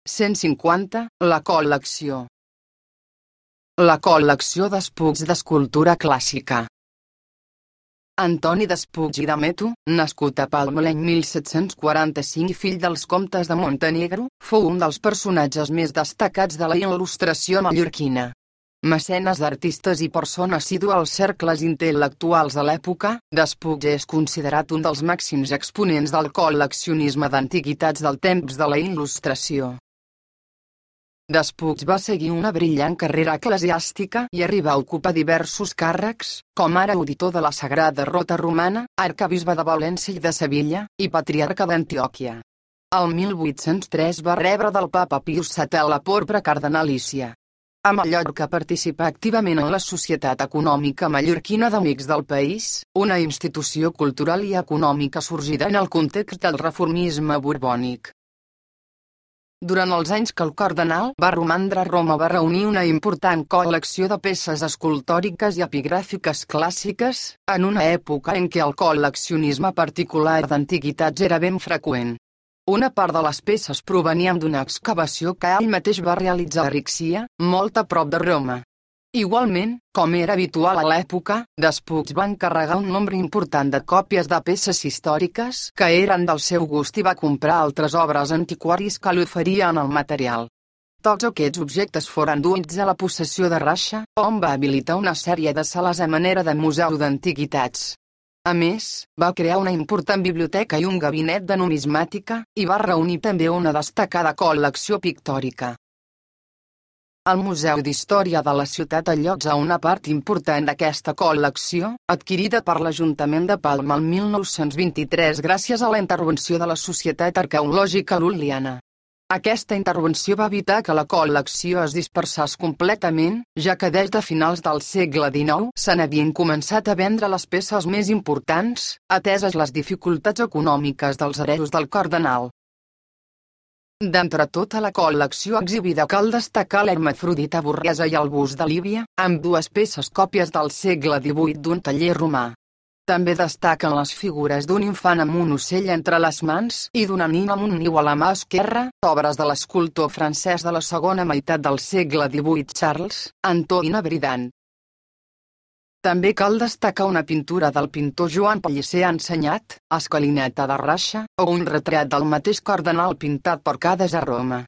150. La col·lecció. La col·lecció d'espucs d'escultura clàssica. Antoni d'Espuig i d'Ameto, nascut a Palma l'any 1745 i fill dels comtes de Montenegro, fou un dels personatges més destacats de la il·lustració mallorquina. Mecenes d'artistes i persona assídua als cercles intel·lectuals de l'època, Despuig és considerat un dels màxims exponents del col·leccionisme d'antiguitats del temps de la il·lustració. Despuig va seguir una brillant carrera eclesiàstica i arribar a ocupar diversos càrrecs, com ara auditor de la Sagrada Rota Romana, arquebisbe de València i de Sevilla, i patriarca d'Antioquia. El 1803 va rebre del papa Pius VII la porpra cardenalícia. A Mallorca participà activament en la Societat Econòmica Mallorquina d'Amics del País, una institució cultural i econòmica sorgida en el context del reformisme borbònic. Durant els anys que el cardenal va romandre a Roma va reunir una important col·lecció de peces escultòriques i epigràfiques clàssiques, en una època en què el col·leccionisme particular d'antiguitats era ben freqüent. Una part de les peces provenien d'una excavació que ell mateix va realitzar a Rixia, molt a prop de Roma. Igualment, com era habitual a l'època, Despuig va encarregar un nombre important de còpies de peces històriques que eren del seu gust i va comprar altres obres antiquaris que li oferien el material. Tots aquests objectes foren duits a la possessió de Rasha, on va habilitar una sèrie de sales a manera de museu d'antiguitats. A més, va crear una important biblioteca i un gabinet de numismàtica, i va reunir també una destacada col·lecció pictòrica. El Museu d'Història de la ciutat allotja una part important d'aquesta col·lecció, adquirida per l'Ajuntament de Palma el 1923 gràcies a la intervenció de la Societat Arqueològica Lul·liana. Aquesta intervenció va evitar que la col·lecció es dispersés completament, ja que des de finals del segle XIX se n'havien començat a vendre les peces més importants, ateses les dificultats econòmiques dels hereus del cardenal. D'entre tota la col·lecció exhibida cal destacar l'Hermafrodita Borresa i el bust de Lívia, amb dues peces còpies del segle XVIII d'un taller romà. També destaquen les figures d'un infant amb un ocell entre les mans i d'una nina amb un niu a la mà esquerra, obres de l'escultor francès de la segona meitat del segle XVIII Charles Antoine Bridant. També cal destacar una pintura del pintor Joan Pellicer ensenyat, Escalinata de Rasha, o un retrat del mateix cardenal pintat per Cades a Roma.